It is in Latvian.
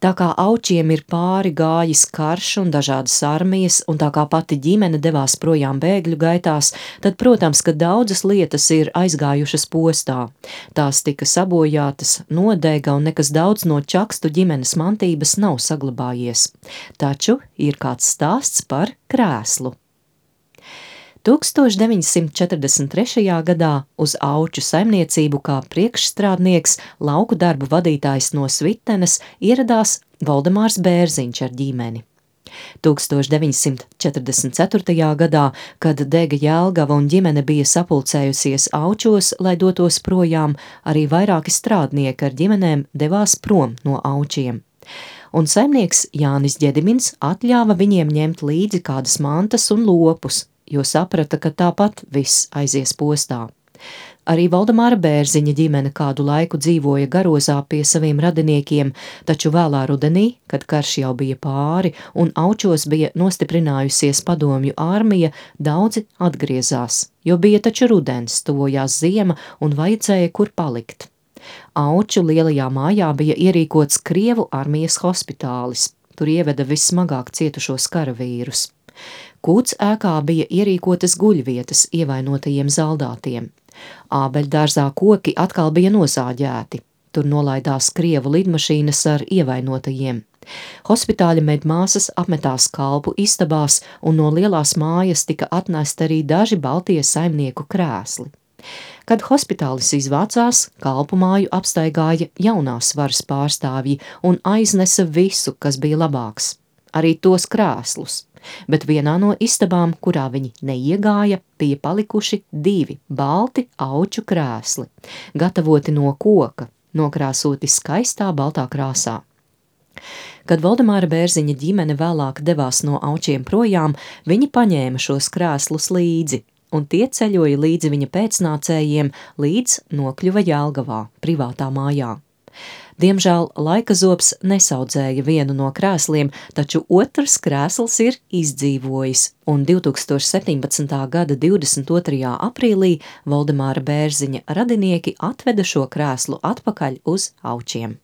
Tā kā Aučiem ir pāri gājis karš un dažādas armijas, un tā kā pati ģimene devās projām bēgļu gaitās, tad, protams, ka daudzas lietas ir aizgājušas postā. Tās tika sabojātas, nodega, un nekas daudz no Čakstu ģimenes mantības nav saglabājies. Taču ir kāds stāsts par krēslu. 1943. gadā uz Auču saimniecību kā priekšstrādnieks, lauku darbu vadītājs no Svitenes ieradās Voldemārs Bērziņš ar ģimeni. 1944. gadā, kad dega Jelgava un ģimene bija sapulcējusies Aučos, lai dotos projām, arī vairāki strādnieki ar ģimenēm devās prom no Aučiem. Un saimnieks Jānis Ģedimins atļāva viņiem ņemt līdzi kādas mantas un lopus, jo saprata, ka tāpat viss aizies postā. Arī Voldemāra Bērziņa ģimene kādu laiku dzīvoja Garozā pie saviem radiniekiem, taču vēlā rudenī, kad karš jau bija pāri un Aučos bija nostiprinājusies padomju armija, daudzi atgriezās, jo bija taču rudens, tuvojās ziema un vajadzēja kur palikt. Auču lielajā mājā bija ierīkots Krievu armijas hospitālis, tur ieveda vissmagāk cietušos karavīrus. Kūts ēkā bija ierīkotas guļvietas ievainotajiem zaldātiem. Ābeļdārzā koki atkal bija nozāģēti. Tur nolaidās Krievu lidmašīnas ar ievainotajiem. Hospitāļa medmāsas apmetās kalpu istabās, un no lielās mājas tika atnesti arī daži baltie saimnieku krēsli. Kad hospitālis izvācās, kalpu māju apstaigāja jaunās varas pārstāvji un aiznesa visu, kas bija labāks, arī tos krēslus. Bet vienā no istabām, kurā viņi neiegāja, bija palikuši 2 balti Auču krēsli, gatavoti no koka, nokrāsoti skaistā baltā krāsā. Kad Voldemāra Bērziņa ģimene vēlāk devās no Aučiem projām, viņi paņēma šos krēslus līdzi, un tie ceļoja līdzi viņa pēcnācējiem, līdz nokļuva Jelgavā, privātā mājā. Diemžēl laikazobs nesaudzēja vienu no krēsliem, taču otrs krēsls ir izdzīvojis, un 2017. gada 22. aprīlī Voldemāra Bērziņa radinieki atveda šo krēslu atpakaļ uz Aučiem.